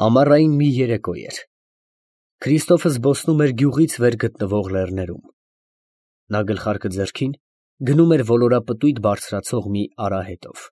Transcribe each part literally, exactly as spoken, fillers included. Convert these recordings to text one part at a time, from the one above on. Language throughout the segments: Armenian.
Ամառային մի երեկո էր։ Քրիստոֆը զբոսնում էր գյուղից վեր գտնվող լեռներում։ Նա գլխարկը ձեռքին գնում էր ոլորապտույտ բարձրացող մի արահետով։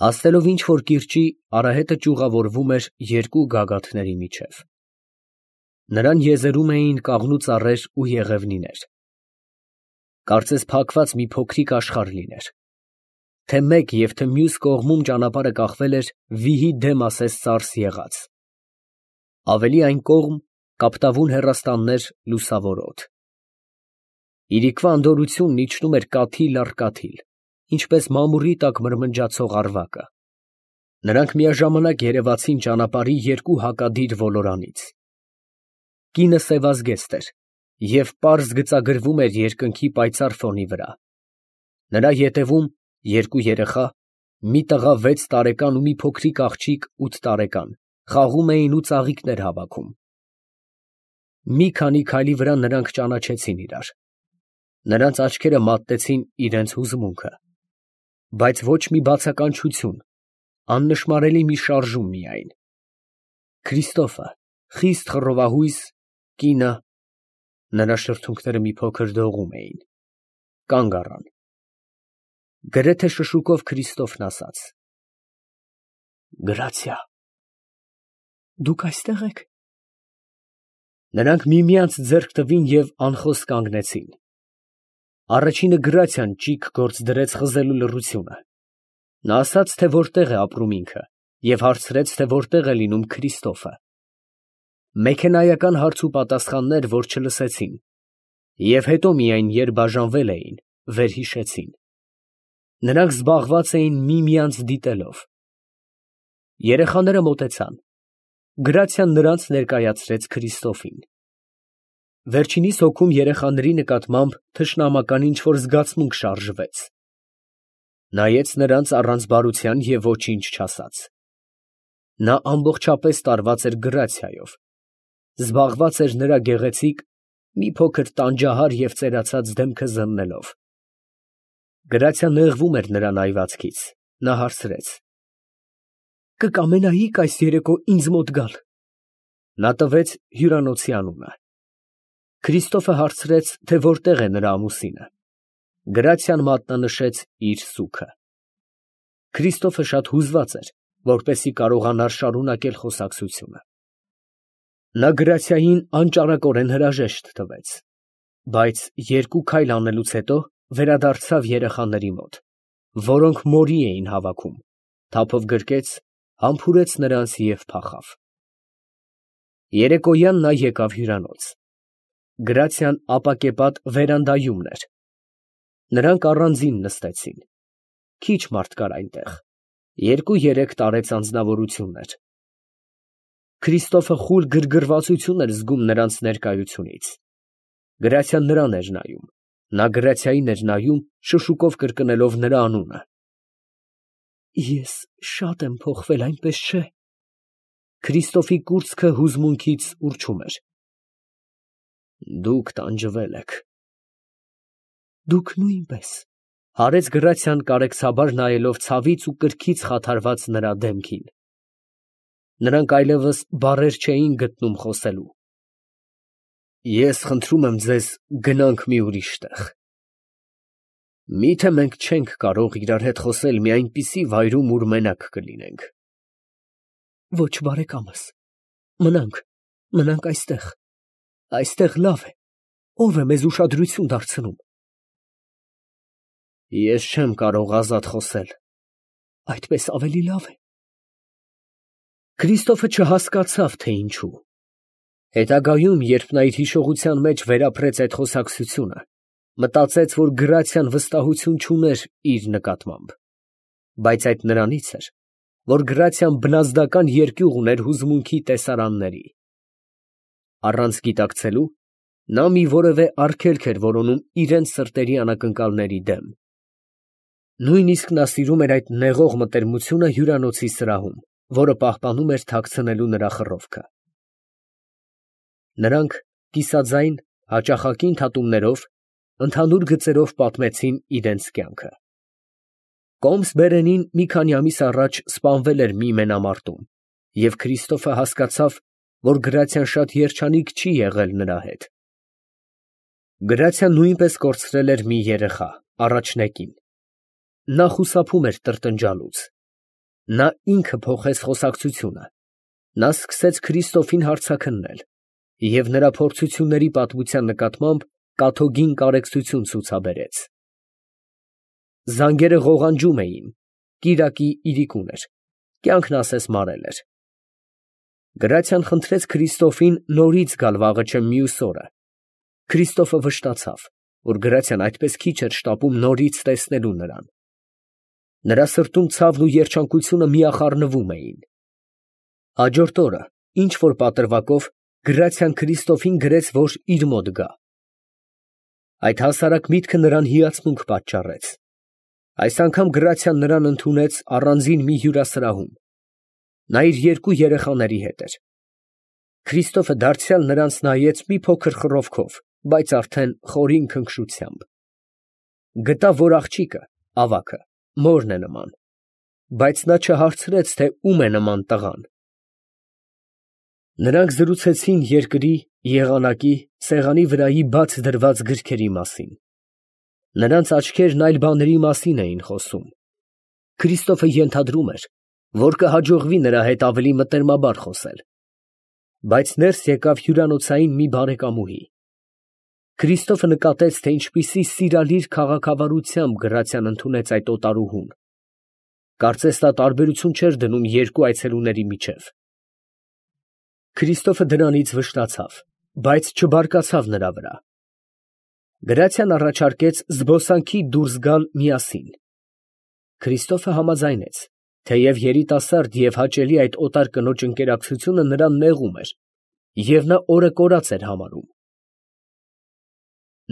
Հասնելով ինչ֊որ կիրճի, արահետը ճյուղավորվում էր երկու գագաթների միջև։ Նրան եզերում էին կաղնու ծառեր ու եղևնիներ։ Կարծես փակված մի փոքրիկ աշխարհ լիներ։ Թե մեկ և թե մյուս կողմում ճանապարհը կախվել էր վիհի դեմ ասես ծարս եղած։ Ավելի այն կողմ կապտավուն հեռաստաններ, լուսավոր օդ։ Իրիկվա անդորրությունն իջնում էր կաթիլ առ կաթիլ, ինչպես մամուռի տակ մրմնջացող ավարակը։ Նրանք միաժամանակ երևացին ճանապարհի երկու հակադիր ոլորանից։ Կինը սևազգեստ էր և պարզ գծագրվում էր երկնքի պայծառ ֆոնի վրա։ Նրա ետևում երկու երեխա, մի տղա վեց տարեկան ու մի փոքրիկ աղջիկ ութ տարեկան, խաղում էին ու ծաղիկներ հավաքում։ Մի քանի քայլի վրա նրանք ճանաչեցին իրար։ Նրանց աչքերը մատտեցին իրենց հուզմունքը, բայց ոչ մի բացականչություն, աննշմարելի մի շարժում միայն։ Քրիստոֆը, խիստ խռովահույս, կինը, նրա շրթունքները մի փոքր դողում էին, կանգ առան։ Գրեթե շշուկով Քրիստոֆն ասաց. «Գրացիա, դուք այստեղ եք»։ Նրանք միմյանց ձեռք տվին և անխոս կանգնեցին։ Առաջինը գրացիան ճիգ գործ դրեց խզելու լռությունը։ Նա ասաց, թե որտեղ է ապրում ինքը, և հարցրեց, թե որտեղ է լինում Քրիստոֆը։ Մեքենայական հարց ու պատասխաններ, որ չլսեցին, և հետո միայն, երբ բաժանվել էին, վերհիշեցին։ Նրանք զբաղված էին միմյանց դիտելով։ Երեխաները մոտեցան։ Գրացիան նրանց ներկայացրեց Քրիստոֆին։ Վերջինիս հոգում երեխաների նկատմամբ թշնամական ինչ֊որ զգացմունք շարժվեց։ Նայեց նրանց առանց բարության և ոչինչ չասաց։ Նա ամբողջապես տարված էր գրացիայով, զբաղված էր նրա գեղեցիկ, մի փոքր տանջահար և ծերացած դեմքը զննելով։ Գրացիան նեղվում էր նրա նայվածքից։ Նա հարցրեց. «Կկամենայի՞ք այս երեկո ինձ մոտ գալ»։ Նա տվեց հյուրանոցի անունը։ Քրիստոֆը հարցրեց, թե որտեղ է նրա ամուսինը։ Գրացիան մատնանշեց իր սուգը։ Քրիստոֆը շատ հուզված էր, որպեսզի կարողանար շարունակել խոսակցությունը։ Նա գրացիային անճարակորեն հրաժեշտ տվեց, բայց երկու քայլ անելուց հետո վերադարձավ երեխաների մոտ, որոնք մորի էին հավաքում, թափով գրկեց, համբուրեց նրանց և փախավ։ Երեկոյան նա եկավ հյուրանոց։ Գրացիան ապակեպատ վերանդայումն էր։ Նրանք առանձին նստեցին։ Քիչ մարդ կար այնտեղ, երկու֊երեք տարեց անձնավորություններ։ Քրիստոֆը խուլ գրգռվածություն էր զգում նրանց ներկայությունից։ Գրացիան նրան էր նայում, նա գրացիային էր նայում, շշուկով կրկնելով նրա անունը։ «Ես շատ եմ փոխվել, այնպես չէ՞։ Քրիստոֆի կուրծքը հուզմունքից ուռչում էր։ Դուք տանջվել եք։ Դուք նույնպես, հարեց գրացիան կարեկցաբար նայելով ցավից ու կրքից խաթարված նրա դեմքին։ Նրանք այլևս բառեր չէին գտնում խոսելու։ Ես խնդրում եմ ձեզ, գնանք մի ուրիշ տեղ։ Մի՞թե մենք չենք կարող իրար հետ խոսել մի այնպիսի վայրում, ուր մենակ կլինենք։ Ոչ, բարեկամս, մնանք, մնանք այստեղ։ Այստեղ լավ է, ո՞վ է մեզ ուշադրություն դարձնում։ Ես չեմ կարող ազատ խոսել։ Այդպես ավելի լավ է։ Քրիստոֆը չհասկացավ, թե ինչու։ Հետագայում, երբ նա իր հիշողության մեջ վերապրեց այդ խոսակցությունը, մտածեց, որ գրացիան վստահություն չուներ իր նկատմամբ, բայց այդ նրանից էր, որ գրացիան բնազդական երկյուղ ուներ հուզմունքի տեսարանների։ Առանց գիտակցելու, նա մի որևէ արգելք էր որոնում իրենց սրտերի անակնկալների դեմ։ Նույնիսկ նա սիրում էր այդ նեղող մտերմությունը հյուրանոցի սրահում, որը պահպանում էր թաքցնելու նրա խռովքը։ Նրանք կիսաձայն, հաճախակի ընդհատումներով, ընդհանուր գծերով պատմեցին իրենց կյանքը։ Կոմս Բերենին մի քանի ամիս առաջ սպանվել էր մի մենամարտում և Քրիստոֆը հասկացավ, որ Գրացիան շատ երջանիկ չի եղել նրա հետ։ Գրացիան նույնպես կորցրել էր մի երեխա, առաջնեկին. նա խուսափում էր տրտնջալուց։ Նա ինքը փոխեց խոսակցությունը, նա սկսեց Քրիստոֆին հարցաքննել և նրա փորձությունների պատմության նկատմամբ կաթոգին կարեկցություն ցուցաբերեց։ Զանգերը ղողանջում էին, կիրակի իրիկուն էր, կյանքն ասես մարել էր։ Գրացիան խնդրեց Քրիստոֆին նորից գալ վաղը մյուս օրը։ Քրիստոֆը վշտացավ, որ Գրացիան այդպես քիչ էր շտապում նորից տեսնելու նրան։ Նրա սրտում ցավն ու երջանկությունը միախառնվում էին։ Հաջորդ օրը, ինչ որ պատրվակով, Գրացիան Քրիստոֆին գրեց, որ իր մոտ գա։ Այդ հասարակ միտքը նրան հիացմունք պատճառեց։ Այս անգամ Գրացիան նրան ընդունեց առանձին մի հյուրասրահում։ Նա իր երկու երեխաների հետ էր։ Քրիստոֆը դարձյալ նրանց նայեց մի փոքր խռովքով, բայց արդեն խորին քնքշությամբ։ Գտավ, որ աղջիկը, ավագը, մորն է նման, բայց նա չհարցրեց, թե ում է նման տղան։ Նրանք զրուցեցին երկրի, եղանակի, սեղանի վրայի բաց դրված գրքերի մասին։ Նրանց աչքերն այլ բաների մասին էին խոսում։ Քրիստոֆը ենթադրում էր, որ կհաջողվի նրա հետ ավելի մտերմաբար խոսել։ Բայց ներս եկավ հյուրանոցային մի բարեկամուհի։ Քրիստոֆը նկատեց, թե ինչպիսի սիրալիր քաղաքավարությամբ Գրացիան ընդունեց այդ օտարուհուն։ Կարծես նա տարբերություն չէր դնում երկու այցելուների միջև։ Քրիստոֆը դրանից վշտացավ, բայց չբարկացավ նրա վրա։ Գրացիան առաջարկեց զբոսանքի դուրս գալ միասին։ Քրիստոֆը համաձայնեց, թեև երիտասարդ և հաճելի այդ օտար կնոջ ընկերակցությունը նրան նեղում էր, և նա օրը կորած էր համարում։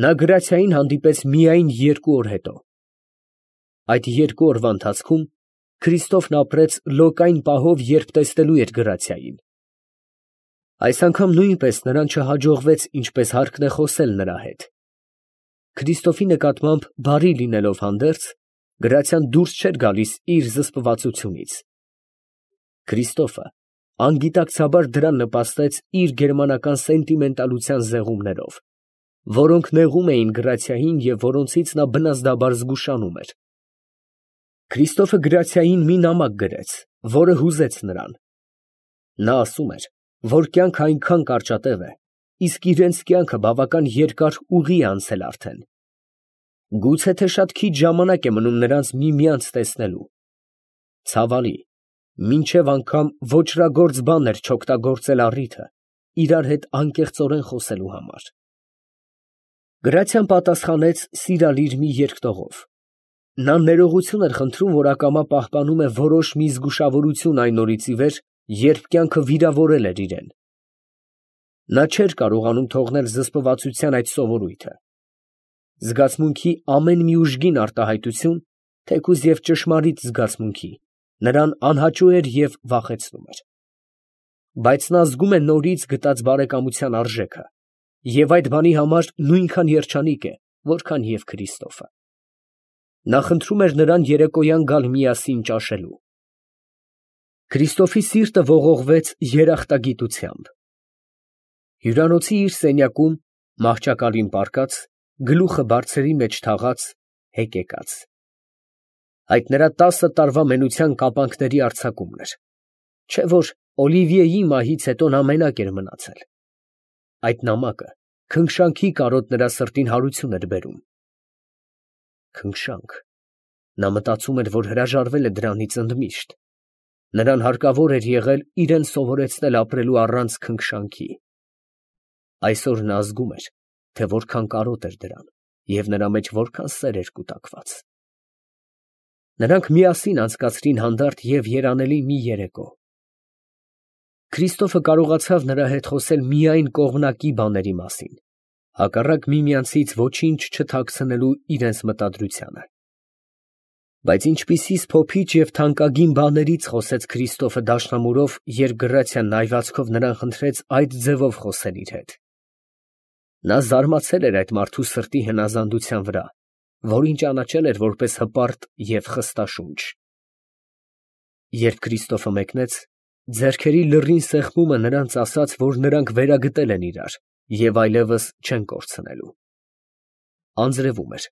Նա Գրացիային հանդիպեց միայն երկու օր հետո։ Այդ երկու օրվա ընթացքում Քրիստոֆն ապրեց լոկ այն պահով, երբ տեսնելու էր Գրացիային։ Այս անգամ նույնպես նրան չհաջողվեց ինչպես հարկն է խոսել նրա հետ։ Քրիստոֆի նկատմամբ բարի լինելով հանդերձ, Գրացիան դուրս չէր գալիս իր զսպվածությունից։ Քրիստոֆը անգիտակցաբար դրան նպաստեց իր գերմանական սենտիմենտալության զեղումներով, որոնք նեղում էին Գրացիային և որոնցից նա բնազդաբար զգուշանում էր։ Քրիստոֆը Գրացիային մի նամակ գրեց, որը հուզեց նրան։ Նա ասում էր, որ կյանքը այնքան կարճատև է, իսկ իրենց կյանքը բավական երկար ուղի է անցել արդեն։ Գուցե թե շատ քիչ ժամանակ է մնում նրանց միմյանց տեսնելու։ Ցավալի, մինչև անգամ ոճրագործ բան էր չօգտագործել առիթը իրար հետ անկեղծորեն խոսելու համար։ Գրացիան պատասխանեց սիրալիր մի երկտողով։ Նա ներողություն էր խնդրում, որ ակամա պահպանում է որոշ մի զգուշավորություն այն օրից ի վեր, երբ կյանքը վիրավորել էր իրեն։ Նա չէր կարողանում թողնել զսպվածության այդ սովորույթը։ Զգացմունքի ամեն մի ուժգին արտահայտություն, թեկուզ և ճշմարիտ զգացմունքի, նրան անհաճո էր և վախեցնում էր։ Բայց նա զգում է նորից գտած բարեկամության արժեքը և այդ բանի համար նույնքան երջանիկ է, որքան և Քրիստոֆը։ Նա խնդրում էր նրան երեկոյան գալ միասին ճաշելու։ Քրիստոֆի սիրտը ողողվեց երախտագիտությամբ։ Հյուրանոցի իր սենյակում, մահճակալին պառկած, գլուխը բարձերի մեջ թաղած, հեկեկած։ Այդ նրա տասը տարվա մենության կապանքների արձակումն էր, չէ՞ որ Օլիվիեի մահից հետո նա մենակ էր մնացել։ Այդ նամակը քնքշանքի կարոտ նրա սրտին հարություն էր բերում։ Քնքշանք։ Նա մտածում էր, որ հրաժարվել է դրանից ընդմիշտ։ Նրան հարկավոր էր եղել իրեն սովորեցնել ապրելու առանց քնքշանքի։ Այսօր նա զգում էր, թե որքան կարոտ էր դրան և նրա մեջ որքան սեր էր կուտակված։ Նրանք միասին անցկացրին հանդարտ և երանելի մի երեկո։ Քրիստոֆը կարողացավ նրա հետ խոսել միայն կողմնակի բաների մասին, հակառակ միմյանցից ոչինչ չթաքցնելու իրենց մտադրությանը։ Բայց ինչպիսի սփոփիչ և թանկագին բաներից խոսեց Քրիստոֆը դաշնամուրով, երբ Գրացիան նայվածքով նրան խնդրեց այդ ձևով խոսել իր հետ։ Նա զարմացել էր այդ մարդու սրտի հնազանդության վրա, որին ճանաչել էր որպես հպարտ և խստաշունչ։ Երբ Քրիստոֆը մեկնեց, Ձեռքերի լռին սեղմումը նրանց ասաց, որ նրանք վերագտել են իրար և այլևս չեն կորցնելու։ Անձրևում էր,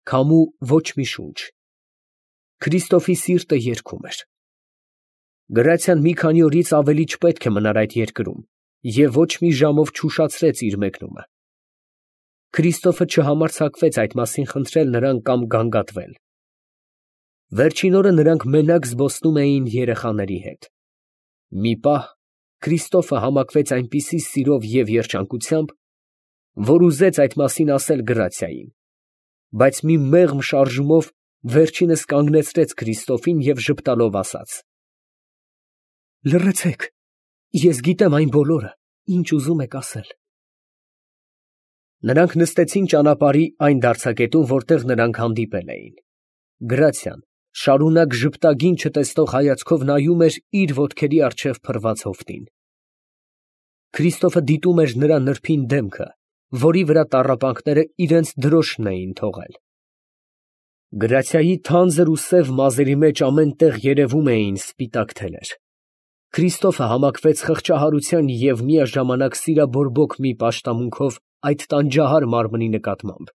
քամու ոչ մի շունչ։ Քրիստոֆի սիրտը երգում էր։ Գրացիան մի քանի օրից ավելի չպետք է մնար այդ երկրում և ոչ մի ժամով չուշացրեց իր մեկնումը։ Քրիստոֆը չհամարձակվեց այդ մասին խնդրել նրան կամ գանգատվել։ Վերջին օրը նրանք մենակ զբոսնում էին երեխաների հետ։ Մի պահ Քրիստոֆը համակվեց այնպիսի սիրով և երջանկությամբ, որ ուզեց այդ մասին ասել Գրացիային, բայց մի մեղմ շարժումով վերջինս կանգնեցրեց Քրիստոֆին և ժպտալով ասաց. «Լռեցեք, ես գիտեմ այն բոլորը, ինչ ուզում եք ասել»։ Նրանք նստեցին ճանապարհի այն դարձակետում, որտեղ նրանք հանդիպել էին։ Գրացիան շարունակ ժպտագին չտեսնող հայացքով նայում էր իր ոտքերի առջև փռված հովտին։ Քրիստոֆը դիտում էր նրա նրբին դեմքը, որի վրա տառապանքները իրենց դրոշն էին թողել։ Գրացիայի թանձր ու սև մազերի մեջ ամեն տեղ երևում էին սպիտակ թելեր։ Քրիստոֆը համակվեց խղճահարության և միաժամանակ սիրաբորբոք մի պաշտամունքով այդ տանջահար մարմնի նկատմամբ,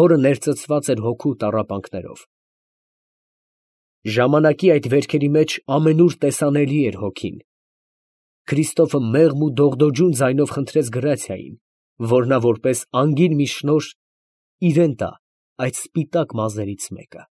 որը ներծծված էր հոգու տառապանքներով։ Ժամանակի այդ վերքերի մեջ ամենուր տեսանելի էր հոգին։ Քրիստոֆը մեղմ ու դողդոջուն ձայնով խնդրեց Գրացիային, որ նա որպես անգիր մի շնորհ իրան տա այդ սպիտակ մազերից մեկը։